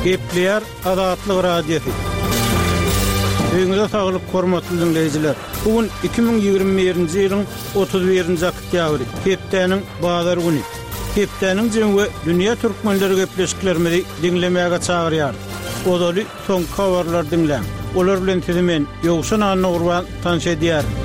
Gepleýär Azatlyk Radiosy. Öýüňize saglyk, hormatly diňleýjiler! Bu gün 2021-nji ýylyň 31-nji oktýabry, hepdäniň bazar güni. Hepdäniň jemi we dünýä türkmenleri gepleşiklerimizi diňlemäge çagyrýarys. Ozaly soňky habarlary diňläň. Olar bilen sizi men, Ýowşan Annagurban, tanyş edýärin.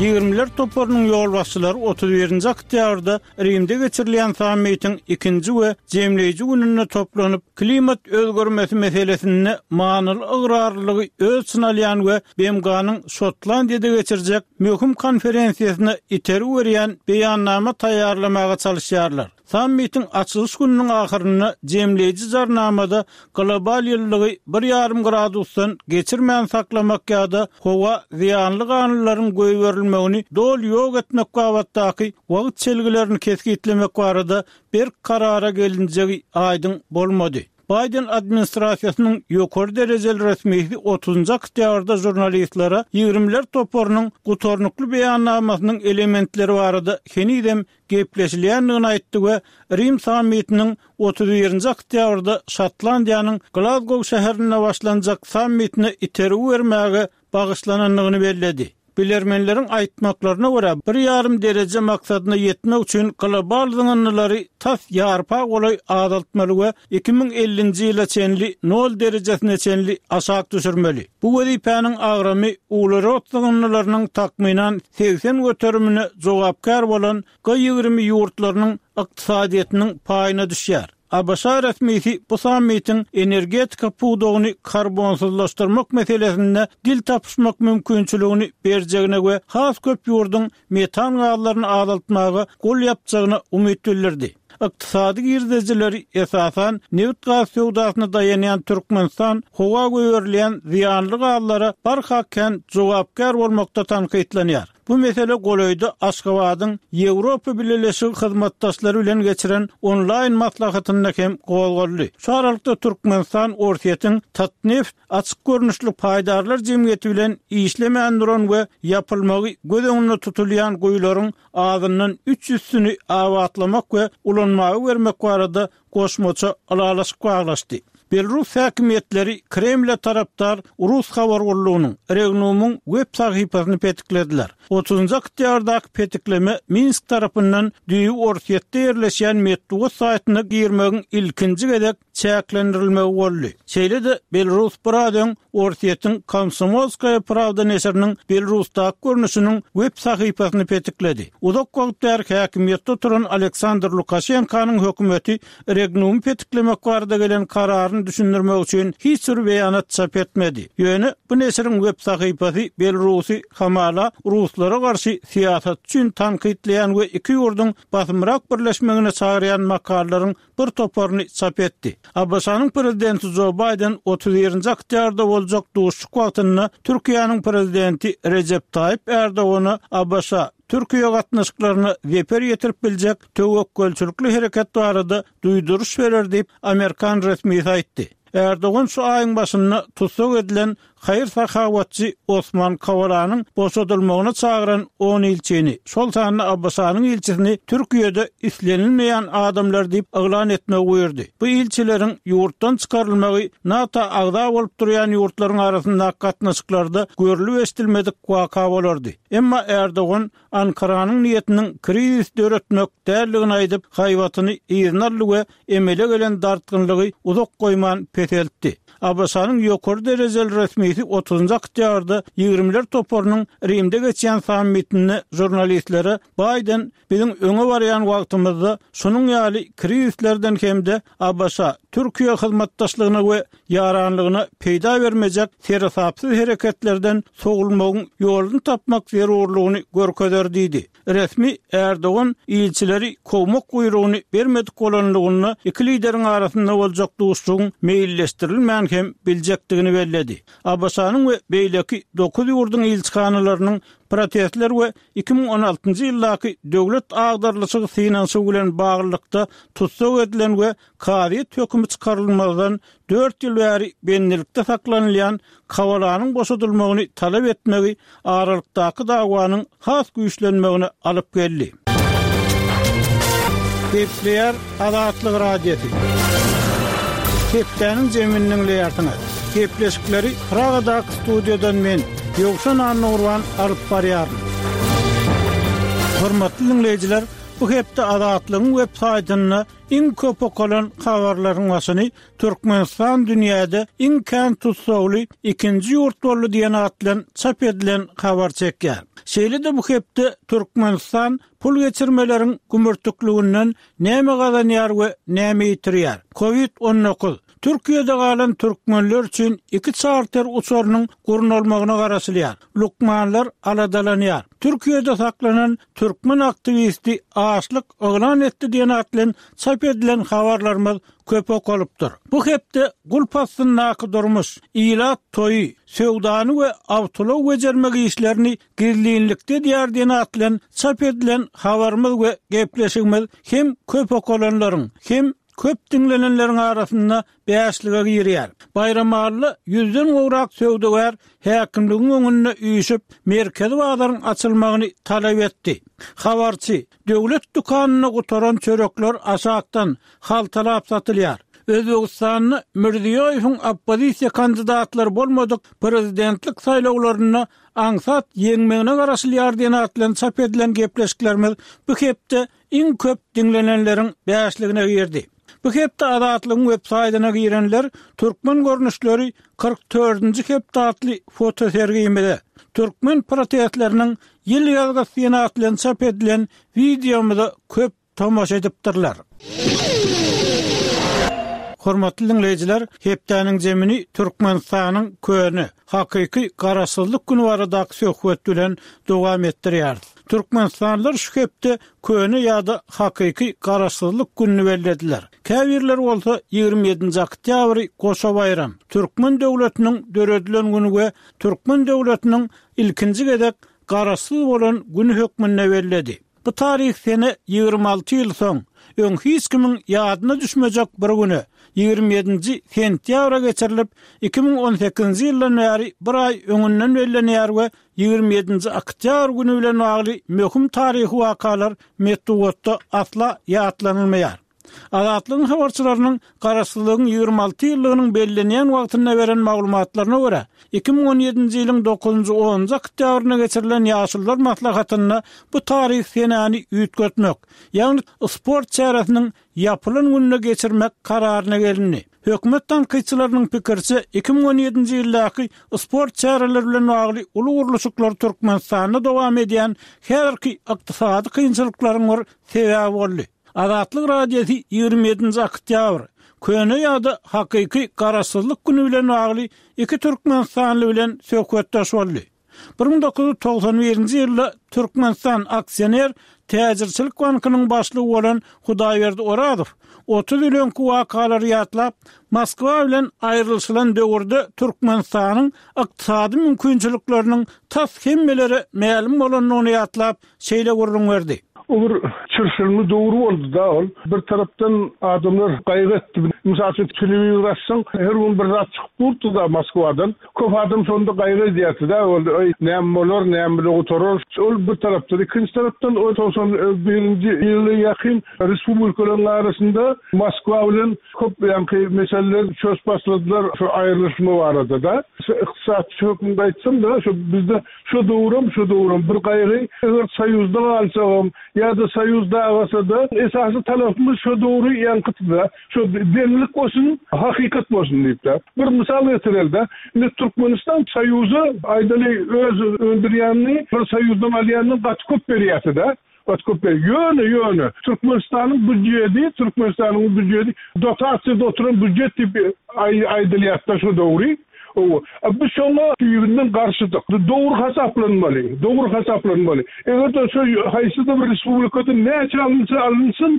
Ýigrimiler toparynyň ýolbaşçylary 31-nji oktýabrda Rimde geçirilýän sammitiň ikinji we jemleýji gününde toplanyp, klimat özgermesi meselesinde manyly ygrarlylygy öz içine alýan we BMG-niň Şotlandiýada geçirjek möhüm konferensiýasyna itergi berýän beýannama taýýarlamaga çalyşýarlar. Sammitiň açylyş gününiň ahyrynda jemleýji jarnamada global ýylylygy bir ýarym gradusdan geçirmän saklamak ýa-da howa zyýanly ganlylaryň goýberilmegini doly ýok etmek babatdaky wagt çelgilerini kesgitlemek barada berk karara gelinjegi aýdyň bolmady. Baýden administrasiýasynyň ýokary derejeli resmisi otuzynjy oktýabrda žurnalistlere ýigrimiler toparynyň gutarnykly beýannamasynyň elementleri barada henizem gepleşilýändigini aýtdy we Rim sammitiniň 31-nji oktýabrda Şotlandiýanyň Glazgow şäherinde başlanjak sammitine itergi bermäge bagyşlanandygyny belledi. Bilermenleriň aýtmaklaryna görä, bir ýarym dereje maksadyna ýetmek üçin global zyňyndylary tas ýarpa golaý azaltmaly we 2050-nji ýyla çenli nol derejesine çenli aşak düşürmeli. Bu wezipäniň agramy uglerod zyňyndylarynyň takmynan 80 göterimine jogapkär bolan G 20 ýurtlarynyň ykdysadyýetiniň paýyna düşýär. ABŞ resmisi bu sammitiň energetika pudagyny karbonsyzlaşdyrmak meselesinde dil tapyşmak mümkinçiligini berjegine we has köp ýurduň metan gazlaryny azaltmaga gol ýapjagyna umyt bildirdi. Ykdysady girdejileri esasan nebit-gaz söwdasyna daýanýan Türkmenistan howa goýberilýän zyýanly gazlara barha kän jogapkär bolmakda tankytlanýar. Bu mesele golaýda Aşgabadyň Ýewropa Bileleşigi hyzmatdaşlary bilen geçiren onlaýn maslahatynda hem gozgaldy. Şu aralykda Türkmenistan Orsýetiň Tatneft açyk görnüşli paýdarlar jemgyýeti bilen işlemän duran we ýapylmagy göz öňünde tutulýan guýularyň azyndan üç ýüzsüni abatlamak we ulanmaga bermek barada goşmaça ylalaşyk baglaşdy. Belarus häkimiýetleri Kremle tarapdar rus habar gullugynyň, Regnumyň web sahypasyny petiklediler. Otuzynjy oktýabrdaky petikleme Minsk tarapyndan düýbi Orsýetde ýerleşýän metbugat saýtyna girmegiň ilkinji gezek çäklendirilmegi boldy. Şeýle-de, Belarus biraz öň Orsýetiň Komsomolskaýa prawda neşiriniň Belarusdaky görnüşiniň web sahypasyny petikledi. Uzak wagt bäri häkimiýetde oturan Aleksandr Lukaşenkanyň hökümeti Regnumy petiklemek barada gelen kararyny düşündirmek üçin hiç bir beýanat çap etmedi. Ýöne bu neşiriň web sahypasy Belarusy hamala ruslara garşy syýasat üçin tankytlaýan we iki ýurduň basymrak birleşmegine çagyrýan makalalaryň bir toparyny çap etdi. ABŞ-nyň prezidenti Jo Baýden 31-nji oktýabrda boljak duşuşyk wagtynda Türkiýäniň prezidenti Rejep Taýyp Ärdogana ABŞ, Türkiýe gatnaşyklaryna zeper ýetirip biljek töwekgelçilikli hereket barada duýduryş berer diýip, amerikan resmisi aýtdy. Ärdogan şu aýyň başynda tussag edilen haýyr-sahawatçy Osman Kawalanyň boşadylmagyna çagyran on ilçini, şol sanda ABŞ-nyň ilçisini Türkiýede islenilmeýän adamlar diýip yglan etmegi buýurdy. Bu ilçileriň ýurtdan çykarylmagy NATO agza bolup durýan ýurtlaryň arasyndaky gatnaşyklarda görlüp-eşidilmedik waka bolardy. Emma Ärdogan Ankaranyň niýetiniň krizis döretmek däldigini aýdyp, haýbatyny yzyna aldy we emele gelen dartgynlygy uzak goýman peseltdi. ABŞ-nyň ýokary derejeli resmisi otuzynjy oktýabrda Ýigrimiler toparynyň Rimde geçýän sammitinde žurnalistlere Baýden biziň öňe barýan wagtymyzda şunuň ýaly krizislerden hem-de ABŞ, Türkiýe hyzmatdaşlygyna we ýaranlygyna peýda bermejek seresapsyz hereketlerden sowulmagyň ýoluny tapmak zerurlygyny görkezer diýdi. Resmi Ärdogan ilçileri kowmak buýrugyny bermedik bolanlygynda iki lideriň arasynda boljak duşuşygyň meýilleşdirilmän hem biljekdigini belledi. ABŞ-nyň we beýleki dokuz ýurduň ilçihanalarynyň protestler we 2016-njy ýyldaky döwlet agdarylyşygy synanyşygy bilen baglylykda tussag edilen we kazyýet hökümi çykarylmazdan dört ýyl bäri bendilikde saklanylýan Kawalanyň boşadylmagyny talap etmegi aralykdaky dawanyň has güýçlenmegine alyp geldi. Gepleýär Azatlyk Radiosy. Hepdäniň jemini diňleýärsiňiz. Gepleşikleri Pragadaky studiýadan men, Ýowşan Annagurban alyp barýaryn. Hormatly diňleýjiler, bu hepde Azatlygyň web saýtynda iň köp okalan habarlaryň başyny Türkmenistan dünýäde iň kän tussagly ikinji ýurt boldy diýen at bilen çap edilen habar çekýär. Şeýle-de bu hepde Türkmenistan pul geçirmeleriň gümürtikliginden näme gazanýar we näme ýitirýär? Covid 19, Türkiýede galan türkmenler üçin iki çarter uçarynyň gurnalmagyna garaşylýar. Lukmanlar aladalanýar. Türkiýede saklanan türkmen aktiwisti açlyk yglan etdi diýen at bilen çap edilen habarlarymyz köp okalypdyr. Bu hepde gulp astyndaky durmuş, ilat toýy, söwdany we awtoulag bejermek işlerini gizlinlikde edýär diýen at bilen çap edilen habarymyz we gepleşigimiz hem köp okalanlaryň, hem köp diňlenenleriň arasynda bäşlige girýär. Baýramalyda ýüzden gowrak söwdagär häkimligiň öňünde üýşüp, merkezi bazaryň açylmagyny talap etdi. Habarçy, Döwlet dükanynda gutaran çörekler aşakdan, haltalap satylýar. Özbegistanda Mirziýoýewiň oppozisiýa kandidatlary bolmadyk prezidentlik saýlawlarynda aňsat ýeňmegine garaşylýar diýen at bilen çap edilen gepleşiklerimiz bu hepde iň köp diňlenenleriň bäşligine girdi. Bu hepde Azatlygyň websaýtyna girenler Türkmen görnüşleri 44-nji hepde atly fotosergimize, türkmen protestleriniň ýyl ýazgysy diýen at bilen çap edilen wideomyza köp tomaşa edipdirler. Hormatly diňleýjiler, hepdäniň zemini Türkmenistanyň köne, hakyky Garaşsyzlyk güni baradaky söhbet bilen dowam etdirýäris. Türkmenistanlylar şu hepde köne ýa-da hakyky Garaşsyzlyk gününi bellediler. Käbirleri bolsa 27-nji oktýabry goşa baýram, türkmen döwletiniň döredilen güni we türkmen döwletiniň ilkinji gezek Garaşsyz bolan güni hökmünde belledi. Bu taryhy sene 26 ýyl soň, öň hiç kimiň ýadyna düşmejek bir güne, 27-nji sentýabra geçirilip, 2018-nji ýyldan bäri bir aý öňünden bellenýär we 27-nji oktýabr güni bilen bagly möhüm taryhy wakalar metbugatda asla ýatlanylmaýar. Azatlygyň habarçylarynyň Garaşsyzlygyň 26 ýyllygynyň bellenýän wagtynda beren maglumatlaryna görä, 2017-nji ýylyň dokuzynjy-onunjy oktýabrynda geçirilen Ýaşulular maslahatynda bu taryhy senäni üýtgetmek, ýagny sport çäresiniň ýapylan gününe geçirmek kararyna gelindi. Hökümet tankytçylarynyň pikiriçe, 2017-nji ýyldaky sport çäreleri bilen bagly uly gurluşyklar Türkmenistanda dowam edýän häzirki ykdysady kynçylyklaryň bir sebäbi boldy. Azatlyk Radiosy 27-nji oktýabr, köne ýa-da hakyky Garaşsyzlyk güni bilen bagly iki türkmenistanly bilen söhbetdeş boldy. 1991-nji ýylda Türkmenistan aksioner täjirçilik bankynyň başlygy bolan Hudaýberdi Orazow 30 ýyl öňki wakalary ýatlap, Moskwa bilen aýrylyşylan döwürde Türkmenistanyň ykdysady mümkinçilikleriniň tas hemmelere mälim bolandygyny ýatlap, şeýle gürrüň berdi. O bir çylşyrymly döwür boldy-da ol. Bir tarapdan adamlar gaýgy etdi. Mysal üçin, telewizor açsaň, her gün bir zat çykyp durdy-da Moskwadan. Köp adam şonda gaýgy edýärdi-de, ol, Eý, näme bolar, näme bile gutarar. Ol bir tarapdan. Ikinji tarapdan, o 91-nji ýyla ýakyn respublikalaryň arasynda Moskwa bilen köp ýaňky meseleler çözüp başladylar şu aýrylyşma barada-da. Şu ykdysatçy hökmünde aýtsam-da, şu bizde Şo döwrem, şo döwrem bir gaýgy, eger Soýuzda galsagam ýa-da Soýuz dagasa-da, esasy talapymyz şo döwri ýaňkydy-da, şo deňlik bolsun, hakykat bolsun diýip-de. Bir mysal getireli-de, indi Türkmenistan Soýuza, aýdaly, öz öndürýänini bir Soýuzdan alýanyndan gaty köp berýärdi-de. Gaty köp berýär. Ýöne, ýöne, Türkmenistanyň býujeti, Türkmenistanyň býujeti dotasiýada oturan býujet diýip aýdylýar-da şo dogry. Hawa. A biz şoňa düýbünden garşydyk. Dogry hasaplanmaly, dogry hasaplanmaly. Eger-de şo haýsydyr bir respublikada näçe alynsa alynsyn,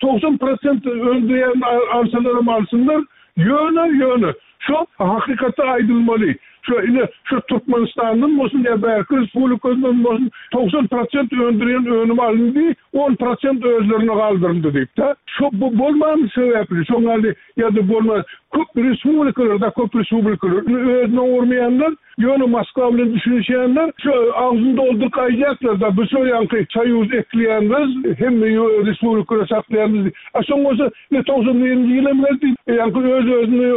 90 prosent öndürýänini alsalaram alsynlar, ýöne, ýöne, şo hakykatda aýdylmaly. Şu ine şu Türkmenistandan bolsun ýa bärki respublikadan bolsun 90 prosent öndürýän önüm alyndy, 10 prosent özlerine galdyryldy diýip-de. Şo bu bolmany sebäpli şoň ýaly ýa-da bolman köp respublikalarda köp respublikalar özüne oňurmaýanlar Ýöne Moskwa bilen düşünişýänler şu agzyny dolduryp aýdýarlar-da, biz şo ýaňky soýuz ekleýänmiz, hemme respublikalary saklaýanmyz diýip. A soň bolsa ine 91-nji ýyl hem geldi, ýaňky öz-özüni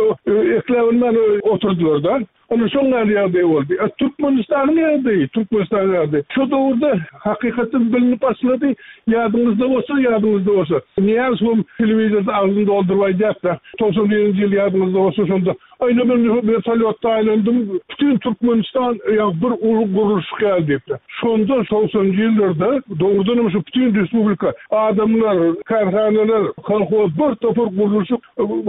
ekläbilmän oturdylar-da. Ine şoň ýaly ýagdaý boldy. A Türkmenistanyň ýagdaýy, Türkmenistanyň ýagdaýy şo döwürde hakykatdan bilinip başlady. Ýadyňyzda bolsa, ýadyňyzda bolsa, Nyýazowam telewizorda agzyny dolduryp aýdýardy-da, 91-nji ýyl ýadyňyzda bolsa şonda Aýna men wertolýotda aýlandym, bütin Türkmenistan ýa bir uly gurluşyk ýaly diýipdir. Şonda togsanynjy ýyllarda dogrudanam şu bütin respublika adamlar, kärhanalar, kolhoz bir topar gurluşyk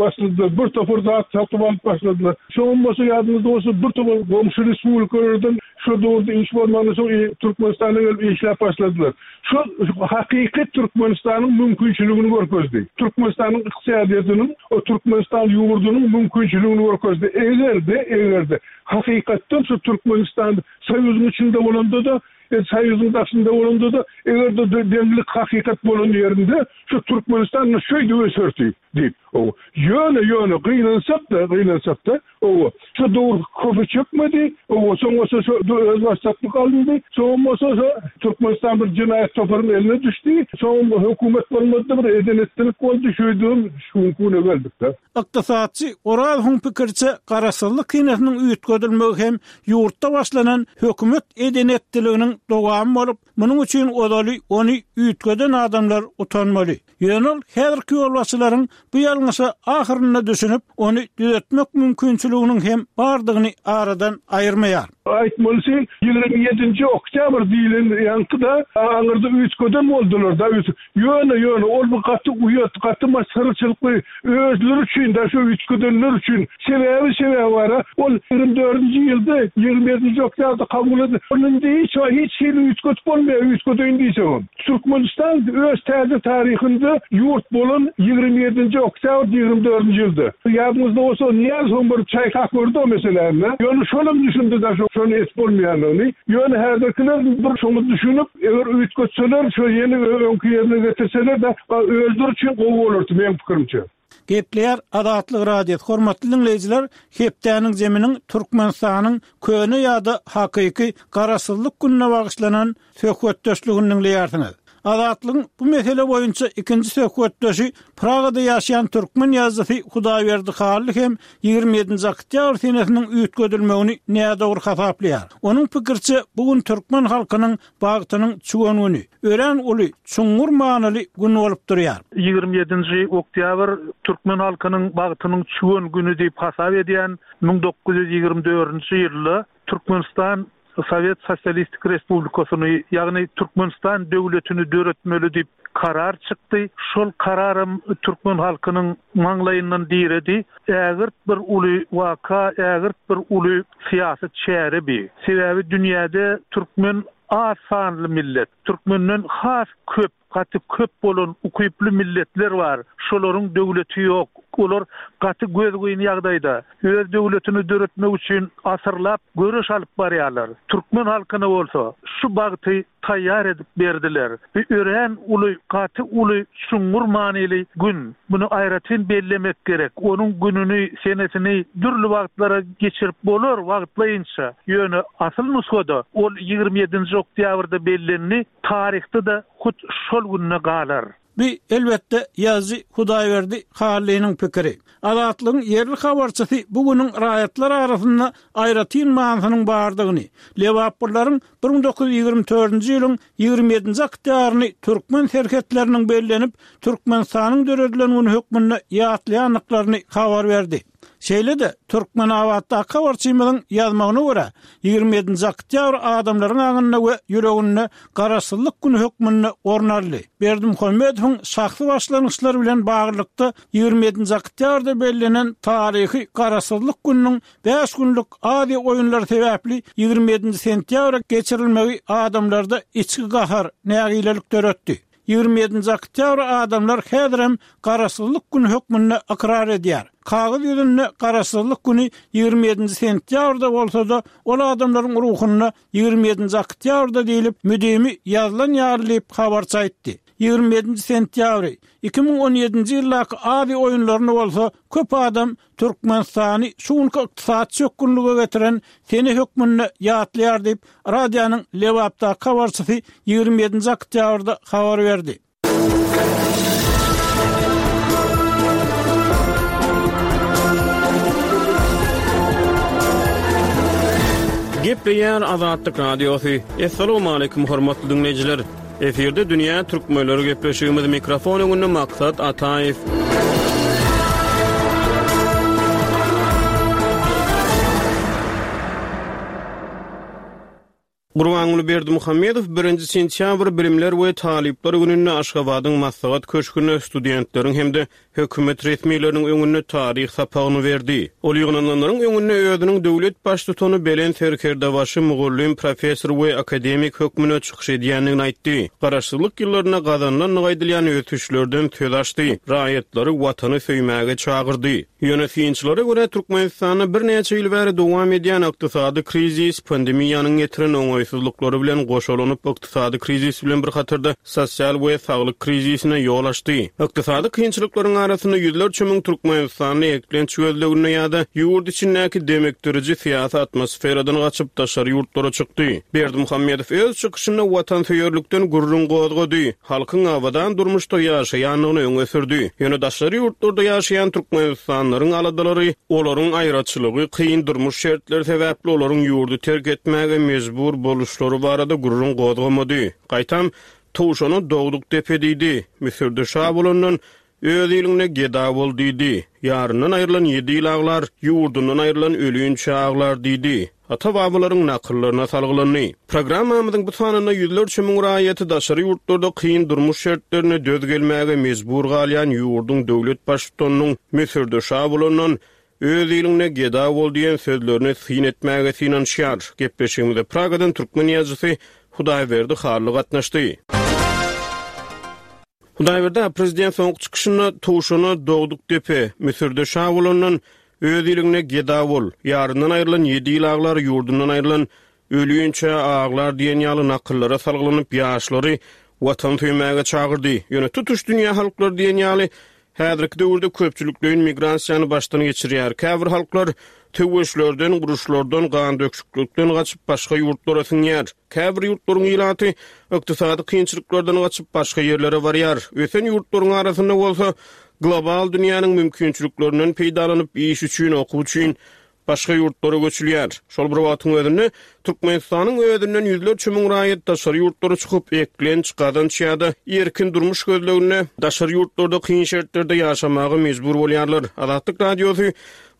başladylar, bir topar zat satyp alyp başladylar. Şoňam bolsa ýadyňyzda bolsa bir topar goňşy respublikalardan şo döwürde iş bolmandan soň Türkmenistana gelip işläp başladylar. Şu hakyky Türkmenistanyň mümkinçiligini görkezdi. Türkmenistanyň ykdysadyýetiniň, Türkmenistan ýurdunyň mümkinçiligini görkezdi. Eger-de, eger-de hakykatdan şu Türkmenistan Soýuzyň içinde bolanda-da, Soýuzyň daşynda bolanda-da, eger-de deňlik hakykat bolan ýerinde şu Türkmenistan şeýdip öserdi diýip. Ýöne, ýöne gynansak-da, gynansak-da, Oba, şo döwür köpe çekmedi. Oba, soň bolsa şo özbaşdaklyk alyndy. Soňam bolsa şo Türkmenistan bir jenaýat toparyň eline düşdi. Soňam hökümet bolmady-da, bir eden-etdilik boldy. Şeýdibem şu günki güne geldik-de. Ykdysatçy Orazowyň pikiriçe, garaşsyzlyk senesiniň üýtgedilmegi hem ýurtda başlanan hökümet eden-etdiliginiň dowamy bolup, munuň üçin ozaly ony üýtgeden adamlar utanmaly. Ýöne ol häzirki ýolbaşçylaryň bu ýalňyşa ahyrynda düşünip, ony düzetmek mümkinçiliginiň hem bardygyny aradan aýyrmaýar. Aýtmalysy, 27-nji oktýabr diýlen ýaňky-da aňyrda üýtgeden boldular-da. Ýöne, ýöne ol bir gaty uýat, gaty masgaraçylykly özleri üçin-de, şo üýtgedenler üçin. Sebäbi, sebäbi bar-a, ol 24-nji ýylda, 27-nji oktýabrda kabul edildi. Ol indi hiç hiç hili üýtgedip bolmaýar, üýtgedeýin diýseňem. Türkmenistan öz täze taryhynda ýurt bolan 27-nji oktýabr 24-nji ýylda. Ýadyňyzda bolsa Nyýazowyň bir çaýkap gördi o meseläni. Ýöne şolam düşündi da şony etip bolmaýandygyny. Ýöne häzirkiler bir şoňa düşünip eger üýtgetseler şo ýene öňki ýerine getirseler-de özleri üçin gowy bolardy meň pikirimçe. Gepleýär Azatlyk Radiosy, Hormatly diňleýjiler, hepdäniň zeminiň Türkmenistanyň köne ýa-da hakyky Garaşsyzlyk gününe bagyşlanan söhbetdeşligini diňleýärsiňiz. Azatlygyň bu mesele boýunça ikinji söhbetdeşi Pragada ýaşaýan türkmen ýazyjysy Hudaýberdi Hally hem 27-nji oktýabr senesiniň üýtgedilmegini nädogry hasaplaýar. Onuň pikiriçe, bu gün türkmen halkynyň bagtynyň çüwen güni, örän uly, çuňňur manyly gün bolup durýar. 27-nji oktýabr türkmen halkynyň bagtynyň çüwen güni diýip hasap edýän 1924-nji ýylda Türkmenistan Sowet Sosialistik Respublikasyny, ýagny Türkmenistan döwletini döretmeli diýip karar çykdy. Şol kararam türkmen halkynyň maňlaýyndan diredi. Ägirt bir uly waka, ägirt bir uly syýasy çäre bi. Sebäbi dünýäde türkmen az sanly millet. Türkmenden has köp Gaty köp bolan ukyply milletler bar, şolaryň döwleti ýok, olar gaty gözgyny ýagdaýda, öz döwletini döretmek üçin asyrlap göreş alyp barýarlar. Türkmen halkyna bolsa şu bagty taýýar edip berdiler. Bu örän uly, gaty uly, çuňňur manyly gün. Muny aýratyn bellemek gerek. Onuň gününi, senesini dürli wagtlara geçirip bolar, wagtlaýynça. Ýöne asyl nusgada ol 27-nji oktýabrda bellendi. Taryhda-da hut şol günde galar. Bu, elbetde, ýazyjy Hudaýberdi Hallynyň pikiri. Azatlygyň ýerli habarçysy bu günüň raýatlar arasynda aýratyn manysynyň bardygyny, lebaplylaryň 1924-nji ýylyň 27-nji oktýabryny türkmen serhetleriniň bellenip, Türkmenistanyň döredilen güni hökmünde ýatlaýandyklaryny habar berdi. Şeýle-de, Türkmenabatdaky habarçymyzyň ýazmagyna görä, 27-nji oktýabr adamlaryň aňynda we ýüreginde Garaşsyzlyk güni hökmünde orun aldy. Berdimuhamedowyň şahsy başlangyçlary bilen baglylykda 27-nji oktýabrda bellenen taryhy Garaşsyzlyk gününiň bäş günlük Aziýa oýunlary sebäpli 27-nji sentýabra geçirilmegi adamlarda içki gahar, nägilelik döretdi. 27-nji oktýabry adamlar häzirem Garaşsyzlyk güni hökmünde ykrar edýär. Kagyz ýüzünde Garaşsyzlyk güni 27-nji sentýabrda bolsa-da, ol adamlaryň ruhunda 27-nji oktýabrda diýlip, müdimi ýazylan ýaly diýip, habarçy aýtdy. 27-nji sentýabry, 2017-nji ýyldaky Aziýa oýunlaryny bolsa köp adam Türkmenistany şu günki ykdysady çökgünlige getiren sene hökmünde ýatlaýar diýip, radionyň Lebapdaky habarçysy 27-nji oktýabrda habar berdi. Gepleýär Azatlyk Radiosy. Assalamualaikum hormatly diňleýjiler. Efirde dünýä türkmenleri gepleşigimiz mikrofon öňünde Maksat Ataýew. Gurbanguly Berdimuhamedow birinji sentýabr Bilimler we talyplar gününde Aşgabadyň Maslahat köşgünde studentleriň hem-de hökümet resmileriniň öňünde taryh sapagyny berdi. Ol ýygnananlaryň öňünde özüniň döwlet baştutany, belent serkerdebaşy, mugallym, professor we akademik hökmünde çykyş edýändigini aýtdy. Garaşsyzlyk ýyllarynda gazanylandygy aýdylýan ösüşlerden söz açdy, raýatlary Watany söýmäge çagyrdy. Ýöne synçylara görä, Türkmenistanda birnäçe ýyl bäri dowam edýän ykdysady krizis pandemiýanyň getiren oňaýsyzlyklary bilen goşalanyp, ykdysady krizis bilen bir hatarda sosial we saglyk krizisine ýol açdy. Ykdysady kynçylyklaryň arasynda ýüzlerçe müň türkmenistanly eklenç gözleginde ýa-da ýurt içindäki demikdiriji syýasy atmosferadan gaçyp, daşary ýurtlara çykdy. Berdimuhamedow öz çykyşynda watansöýerlikden gürrüň gozgady. Halkyň abadan durmuşda ýaşaýandygyny öňe sürdi. Ýöne daşary ýurtlarda ýaşaýan türkmenistanlylaryň aladalary, olaryň aýraçylygy, kyn durmuş şertleri sebäpli olaryň ýurdy terk etmäge mejbur boluşlary barada gürrüň gozgamady. Gaýtam, Towşana dogduk depe diýdi. Müsürde şa bolandan, Öz iliňde geda bol diýdi. Ýaryndan aýrylan ýedi ýyl aglar, ýurdundan aýrylan ölinçä aglar diýdi. Ata-babalaryň nakyllaryna salgylandy. Programmamyzyň bu sanynda ýüzlerçe müň raýaty daşary ýurtlarda kyn durmuş şertlerine döz gelmäge mejbur galýan ýurduň döwlet baştutanynyň Müsürde şa bolandan, öz iliňde geda bol diýen sözlerine syn etmäge synanyşýar. Gepleşigimize Pragadan türkmen ýazyjysy Hudaýberdi Hally gatnaşdy. Hudaýberdi aga, prezident soňky çykyşynda Towşana dogduk depe, Müsürde şa bolandan, öz iliňde geda bol, ýaryndan aýrylan ýedi ýyl aglar, ýurdundan aýrylan ölýinçä aglar diýen ýaly nakyllara salgylanyp, ýaşlary Watan söýmäge çagyrdy. Ýöne tutuş dünýä halklary diýen ýaly häzirki döwürde köpçülikleýin migrasiýany başdan geçirýär. Käbir halklar söweşlerden, uruşlardan, gandöküşiklikden gaçyp başga ýurtlara siňýär. Käbir ýurtlaryň ilaty ykdysady kynçylyklardan gaçyp başga ýerlere barýar. Ösen ýurtlaryň arasynda bolsa global dünýäniň mümkinçiliklerinden peýdalanyp iş üçin, okuw üçin başga ýurtlara göçülýär. Şol bir wagtyň özünde, Türkmenistanyň özünden ýüzlerçe müň raýat daşary ýurtlara çykyp, eklenç, gazanç ýa-da erkin durmuş gözleginde daşary ýurtlarda kyn şertlerde ýaşamaga mejbur bolýarlar. Azatlyk Radiosy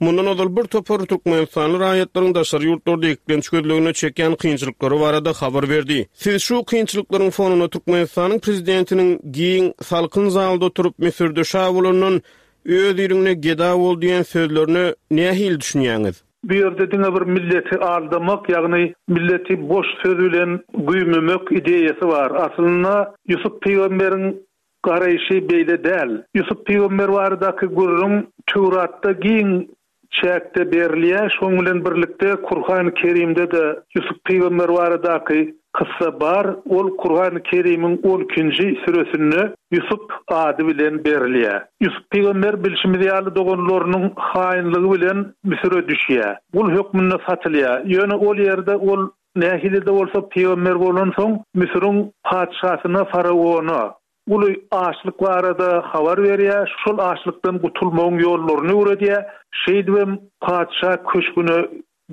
mundan ozal bir topar türkmenistanly raýatlaryň daşary ýurtlarda eklenç gözleginde çekýän kynçylyklary barada habar berdi. Siz şu kynçylyklaryň fonunda Türkmenistanyň prezidentiniň giň, salkyn zalda oturyp, Müsürde şa bolandan Öz iliňde geda bol diýen sözlerine nähili düşünýäňiz? Bu ýerde diňe bir milleti aldamak, ýagny milleti boş söz bilen güýmemek ideýasy bar. Aslynda Ýusup pygamberiň garaýşy beýle däl. Ýusup pygamber baradaky gürrüň Töwratda giň çäkde berilýär. Şonuň bilen birlikde Kurhany Kerimde-de Ýusup pygamber baradaky kyssa bar. Ol Kurhany Kerimiň on ikinji süresinde Ýusup ady bilen berilýär. Ýusup pygamber bilşimiz ýaly doganlarynyň haýynlygy bilen Müsüre düşýär. Gul hökmünde satylýar. Ýöne ol ýerde ol nähili-de bolsa pygamber bolansoň Müsüriň patyşasyna faraona uly açlyk barada habar berýär, şol açlykdan gutulmagyň ýollaryny öwredýär. Şeýdibem patyşa köşgüne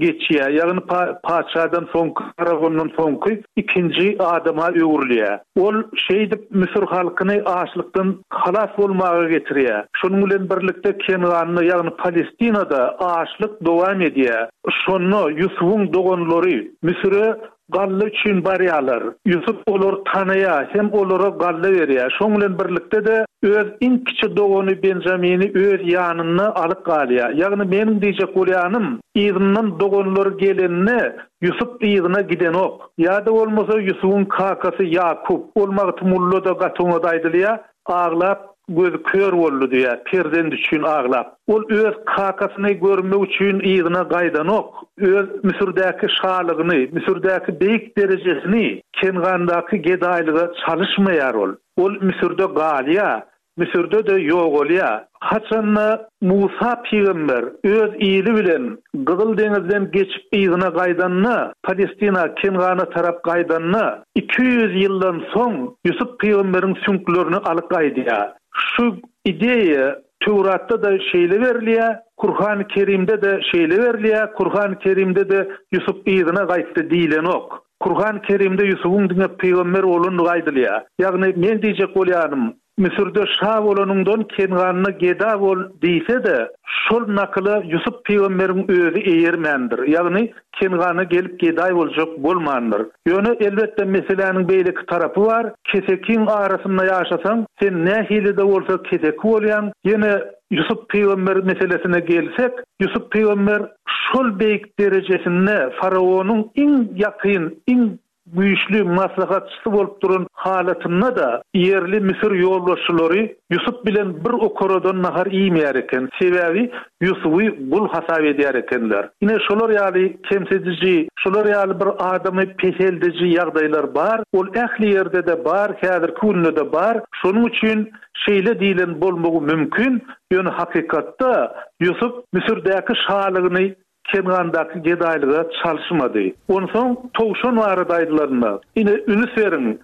geçýär, ýagny patyşadan soňky, faraondan soňky ikinji adama öwrülýär. Ol şeýdip müsür halkyny açlykdan halas bolmaga getirýär. Şonuň bilen birlikde Kenganda, ýagny Palestinada açlyk dowam edýär. Şonda Ýusubyň doganlary Müsüre. Galla üçin barýarlar. Ýusup olary tanaýar hem olara galla berýär. Şoň bilen birlikde-de öz iň kiçi dogany Benjamini öz ýanynda alyp galýar. Ýagny meniň diýjek bolýanym, yzyndan doganlary gelende Ýusup yzyna gidenok. Ýa-da bolmasa Ýusubyň kakasy Ýakup, ol Magtymgulyda-da gaty oňat aýdylýar, aglap gözi kör boldy diýýär, perzent üçin aglap. Ol öz kakasyny görmek üçin yzyna gaýdanok. Öz Müsürdäki şalygyny, Müsürdäki beýik derejesini Kengandaky gedaýlyga çalyşmaýar ol. Ol Müsürde galýar. Müsürde-de ýogalýar. Haçanda Musa pygamber öz ili bilen Gyzyl deňizden geçip yzyna gaýdanda, Palestina, Kengana tarap gaýdanda, 200 ýyldan soň Ýusup pygamberiň süňklerini alyp gaýdýar. Şu ideýa Töwratda-da şeýle berilýär, Kurhany Kerimde-de şeýle berilýär, Kurhany Kerimde-de Ýusup yzyna gaýtdy diýlenok. Kurhany Kerimde Ýusubyň diňe pygamber bolandygy aýdylýar. Ýagny men diýjek bolýanym, Müsürde şa bolanyňdan Kenganda geda bol diýse-de, şol nakyla Ýusup pygamberiň özi eýermändir, ýagny Kengana gelip gedaý boljak bolmandyr. Ýöne, elbetde, meseläniň beýleki tarapy bar, kesekiň arasynda ýaşasaň, sen nähili-de bolsa keseki bolýaň, ýene Ýusup pygamber meselesine gelsek, Ýusup pygamber şol beýik derejesinde faraonyň iň ýakyn, iň güýçli maslahatçysy bolup duran halatynda-da, ýerli müsür ýolbaşçylary Ýusup bilen bir okaradan nahar iýmeýär eken, sebäbi Ýusuby gul hasap edýär ekenler. Ine, şolar ýaly kemsidiji, şolar ýaly bir adamy peseldiji ýagdaýlar bar, ol ähli ýerde-de bar, häzirki günde-de bar. Şonuň üçin şeýle diýlen bolmagy mümkin, ýöne hakykatda Ýusup Müsürdäki şalygyny Kengandaky gedaýlyga çalyşmady. Onsoň towşan barada aýdylarynda, ine, ünüs beriň,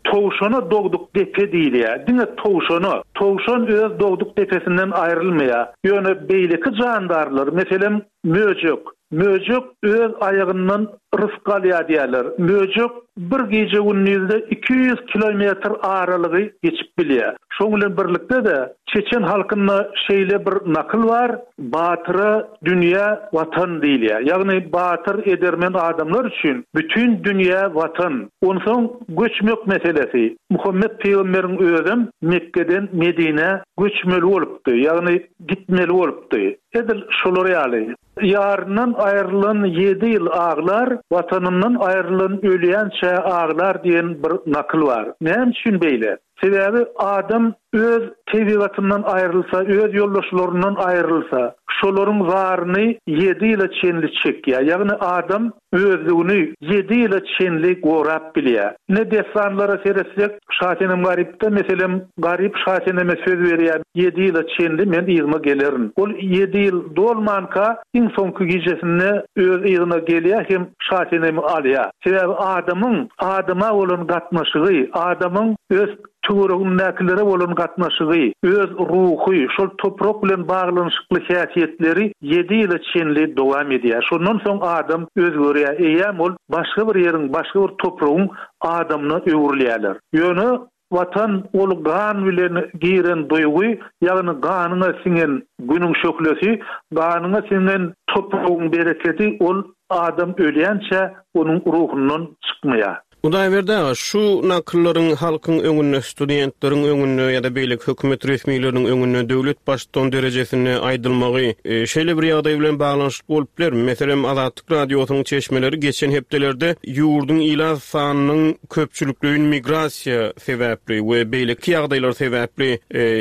towşana dogduk depe diýilýär. Diňe towşana. Towşan öz dogduk depesinden aýrylmaýar. Ýöne beýleki jandarlar, meselem, möjek. Möjek öz aýagyndan rysk alýar diýýärler. Möjek bir gije-gündizde 200 kilometr aralygy geçip bilýär. Şoň bilen birlikde-de, çeçen halkynda şeýle bir nakyl bar, Batyra dünýä Watan diýilýär. Ýagny batyr, edermen adamlar üçin bütin dünýä Watan. Onsoň göçmek meselesi. Muhammet pygamberiň özem Mekgeden Medinä göçmeli bolupdy, ýagny gitmeli bolupdy. Edil şolar ýaly. Ýaryndan aýrylan ýedi ýyl aglar, Watanyndan aýrylan ölýänçä aglar diýen bir nakyl bar. Näme üçin beýle? Sebäbi adam öz tebigatyndan aýrylsa, öz ýoldaşlaryndan aýrylsa, şolaryň zaryny ýedi ýyla çenli çekýär. Ýagny adam özlügini ýedi ýyla çenli gorap bilýär. Ine dessanlara seretsek, Şasenem Garypda, meselem, Garyp Şaseneme söz berýär, ýedi ýyla çenli men yzyma gelerin. Ol ýedi ýyl dolmanka, iň soňky gijesinde öz yzyna gelýär hem Şasenemi alýar. Sebäbi adamyň adama bolan gatnaşygy, adamyň öz töweregindäkilere bolan gatnaşygy, öz ruhy, şol toprak bilen baglanyşykly häsiýetleri ýedi ýyla çenli dowam edýär. Şondan soň adam özgerýär, eýýäm ol başga bir ýeriň, başga bir topragyň adamyna öwrülýärler. Ýöne Watan ol gan bilen giren duýgy, ýagny ganyňa siňen Günüň şöhlesi, ganyňa siňen topragyň berekedi ol adam ölýänçä onuň ruhundan çykmaýar. Hudaýberdi aga, şu nakyllaryň halkyň öňünde, studentleriň öňünde ýa-da beýleki hökümet resmileriniň öňünde döwlet baştutany derejesinde aýdylmagy şeýle bir ýagdaý bilen baglanyşykly bolup bilermi? Meselem, Azatlyk Radiosynyň çeşmeleri geçen hepdelerde ýurduň ilat sanynyň köpçülikleýin migrasiýa sebäpli we beýleki ýagdaýlar sebäpli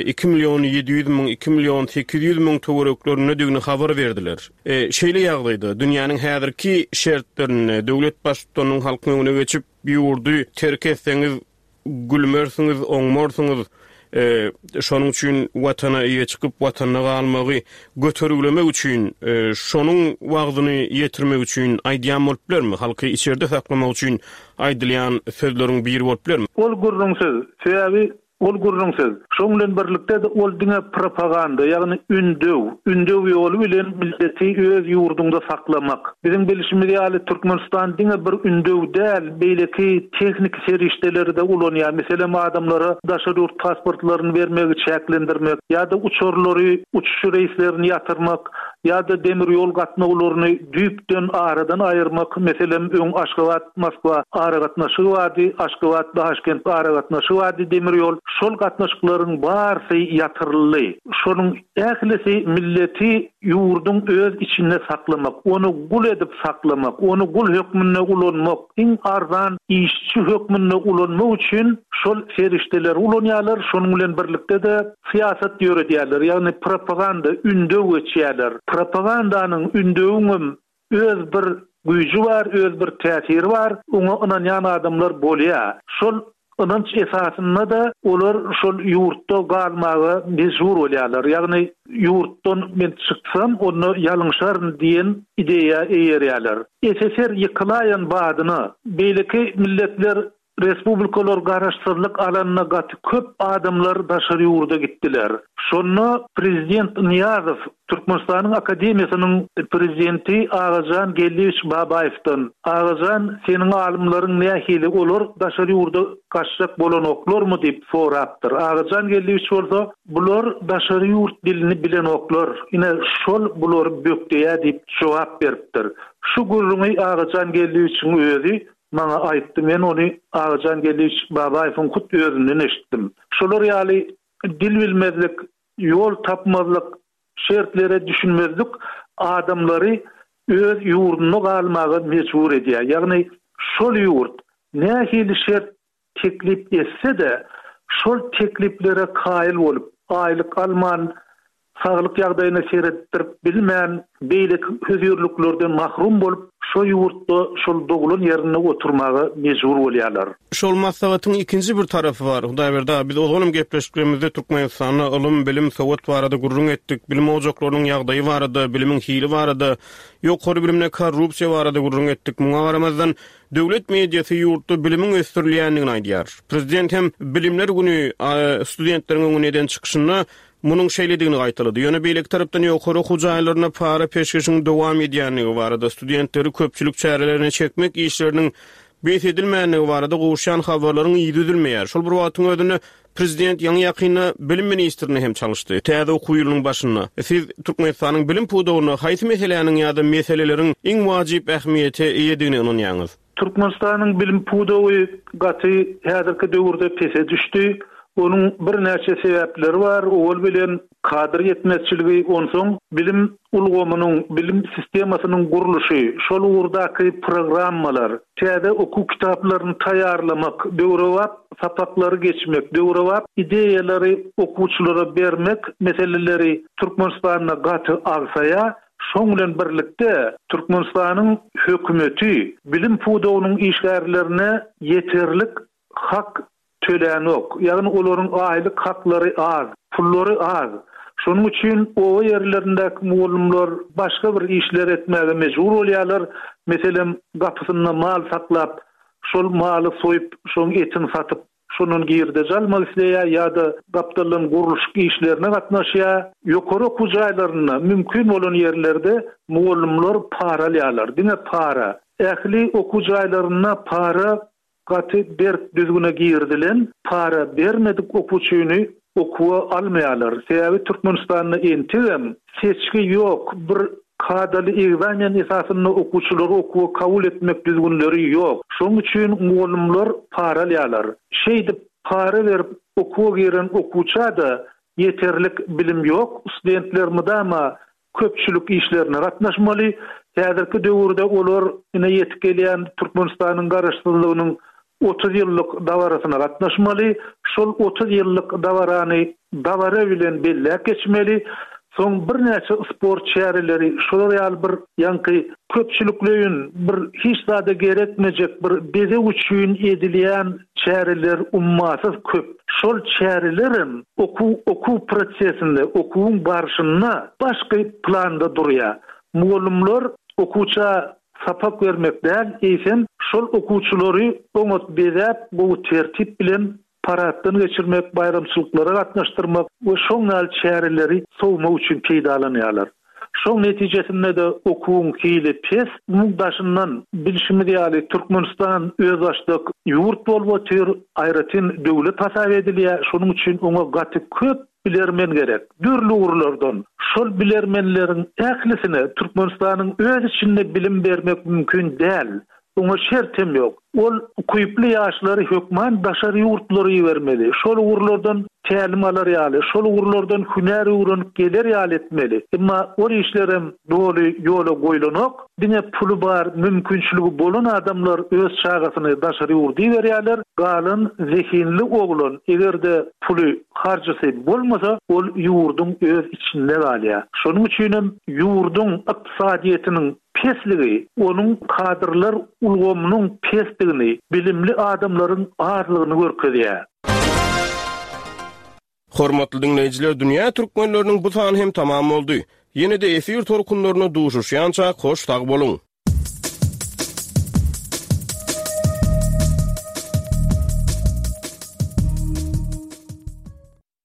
iki million 700 müň, iki million 800 müň töwereklerindedigini habar berdiler. Şeýle ýagdaýda, dünýäniň häzirki şertlerinde döwlet Baştutanynyň halkyň öňüne geçip, ýurdy terk etseňiz, gülmersiňiz, oňmarsyňyz, şonuň üçin Watana eýe çykyp, Watanda galmagy götergilemek üçin, şonuň wagzyny ýetirmek üçin aýdýan bolup bilermi? Halky içerde saklamak üçin aýdylýan sözleriň biri bolup bilermi? Ol gürrüňsiz. Sebäbi. Ol gürrüňsiz. Şoň bilen birlikde-de ol diňe propaganda, ýagny ündew, ündew ýoly bilen milleti öz ýurduňda saklamak. Biziň bilşimiz ýaly, Türkmenistan diňe bir ündew däl, beýleki tehniki serişdeleri-de ulanýar. Meselem, adamlara daşary ýurt pasportlaryny bermegi çäklendirmek ýa-da uçarlary, uçuş reýslerini ýatyrmak ýa-da demir ýol gatnawlaryny düýpden aradan aýyrmak, meselem, öň Aşgabat, Moskwa aragatnaşygy bardy, Aşgabat, Daşkent aragatnaşygy bardy demir ýol, şol gatnaşyklaryň barysy ýatyryldy. Şonuň ählisi milleti ýurduň öz içinde saklamak, ony gul edip saklamak, ony gul hökmünde ulanmak, iň arzan işçi hökmünde ulanmak üçin şol serişdeleri ulanýarlar, şonuň bilen birlikde-de syýasat ýöredýärler, ýagny propaganda, ündew geçýärler. Propagandanyň, ündewiňem öz bir güýji bar, öz bir täsiri bar, oňa ynanýan adamlar bolýar. Şol ynanç esasynda-da olar şol ýurtda galmaga mejbur bolýarlar. Ýagny ýurtdan men çyksam, onda ýalňyşaryn diýen ideýa eýerýärler. SSR ýykylaýan badyna beýleki milletler Respublikalar garaşsyzlyk alanda gaty köp adamlar daşary ýurda gitdiler. Şonda prezident Nyýazow Türkmenistanyň akademiýasynyň prezidenti Agajan Geldiýewiç Babaýewden, Agajan, seniň alymlaryň nähili, olar daşary ýurda gaçjak bolanoklarmy diýip sorapdyr. Agajan Geldiýewiç bolsa, Bular daşary ýurt dilini bilenoklar, ine şol bulary bökdeýär diýip jogap beripdir. Şu gürrüňi Agajan Geldiýewiçiň özi Maňa aýtdy, men ony Agajan Geldiýewiç Babaýewiň hut özünden eşitdim. Şolar ýaly dil bilmezlik, ýol tapmazlyk, şertlere düşünmezlik adamlary öz ýurdunda galmaga mejbur edýär. Ýagny şol ýurt nähili şert teklip etse-de, şol tekliplere kaýyl bolup, aýlyk alman, saglyk ýagdaýyna seretdirip bilmän, beýleki hözirliklerden mahrum bolup, şo ýurtda, şol doglan ýerinde oturmaga mejbur bolýarlar. Şol maslahatyň ikinji bir tarapy bar. Hudaýberdi aga, biz ozalam gepleşiklerimizde Türkmenistanda ylym, bilim, sowat barada gürrüň etdik, bilim ojaklarynyň ýagdaýy barada, bilimiň hili barada, ýokary bilimde korrupsiýa barada gürrüň etdik. Muňa garamazdan, Döwlet mediasy ýurtda bilimiň ösdürilýändigini aýdýar. Prezident hem Bilimler güni studentleriň öňünde eden çykyşynda munuň şeýledigini gaýtalady. Ýöne beýleki tarapdan ýokary okuw jaýlarynda para-peşgeşiň dowam edýändigi barada, studentleri köpçülik çärelerine çekmek işleriniň bes edilmändigi barada gowuşýan habarlaryň yzy üzülmeýär. Şol bir wagtyň özünde Prezident ýaňy-ýakynda bilim ministrini hem çalyşdy. Täze okuw ýylynyň başynda siz Türkmenistanyň bilim pudagynda haýsy meseläniň ýa-da meseleleriň iň wajyp ähmiýete eýedigine ynanýaňyz? Türkmenistanyň bilim pudagy gaty häzirki döwürde pese düşdi. Onuň birnäçe sebäpleri bar. Owal bilen kadr ýetmezçiligi, onsoň bilim ulgamynyň, bilim sistemasynyň gurluşy, şol ugurdaky programmalar, täze okuw kitaplaryny taýýarlamak, döwrebap sapaklary geçmek, döwrebap ideýalary okuwçylara bermek meseleleri Türkmenistanda gaty agsaýar. Şoň bilen birlikde, Türkmenistanyň hökümeti bilim pudagynyň işgärlerine ýeterlik hak tölänok. Ýagny olaryň aýlyk haklary az, pullary az. Şonuň üçin oba ýerlerindäki mugallymlar başga bir işler etmäge mejbur bolýarlar. Meselem, gapysynda mal saklap, şol maly soýup, şoň etini satyp, şondan girdeji almak isleýär ýa-da gapdaldan gurluşyk işlerine gatnaşýar. Ýokary okuw jaýlarynda mümkin bolan ýerlerde mugallymlar para alýarlar, diňe para. Ähli okuw jaýlarynda para Gaty berk düzgüne girizilen para bermedik okuwçyny okuwa almaýarlar. Sebäbi Türkmenistanda entegem seçgi ýok, bir kadaly egzamen esasynda okuwçylary okuwa kabul etmek düzgünleri ýok. Şonuň üçin mugallymlar para alýarlar. Şeýdip para berip okuwa giren okuwça-da ýeterlik bilim ýok. Studentler mydama köpçülik işlerine gatnaşmaly. Häzirki döwürde olar ine ýetip gelýän Türkmenistanyň Garaşsyzlygynyň 30 ýyllyk dabarasyna gatnaşmaly. Şol 30 ýyllyk dabarany dabara bilen belläp geçmeli. Soň birnäçe sport çäreleri, şolar ýaly bir ýaňky köpçülikleýin bir hiç zada gerekmejek bir bezeg üçin edilýän çäreler ummasyz köp. Şol çärelerem okuw okuw prosesinde, okuwyň barşynda başky planda durýar. Mugallymlar okuwça sapak bermek däl, eýsem, şol okuwçylary oňat bezäp, gowy tertip bilen. Paraddan geçirmek, baýramçylyklara gatnaşdyrmak we şoň ýaly çäreleri sowmak üçin peýdalanýarlar. Şoň netijesinde-de okuwyň hili pes. Muň daşyndan, bilşimiz ýaly, Türkmenistan özbaşdak ýurt bolup otyr, aýratyn döwlet hasap edilýär. Şonuň üçin oňa gaty köp bilermen gerek. Dürli ugurlardan. Şol bilermenleriň ählisine Türkmenistanyň öz içinde bilim bermek mümkin däl. Oňa şert hem ýok. Ol ukyply ýaşlary hökman daşary ýurtlara ibermeli. Şol ugurlardan tälim alar ýaly, şol ugurlardan hünär öwrenip geler ýaly etmeli. Emma ol işlerem doly ýola goýlanok. Diňe puly bar, mümkinçiligi bolan adamlar öz çagasyny daşary ýurda iberýärler. Galan zehinli oglan eger-de puly, harjysy bolmasa, ol ýurduň öz içinde galýar. Şonuň üçinem ýurduň ykdysadyýetiniň pesligi, onuň kadrlar ulgamynyň pesdigini, bilimli adamlaryň azlygyny görkezýär. Hormatly diňleýjiler Dünýä Türkmenleriniň bu sany hem tamam boldy. Ýene-de efir tolkunlarynda duşuşýançak hoş sag boluň!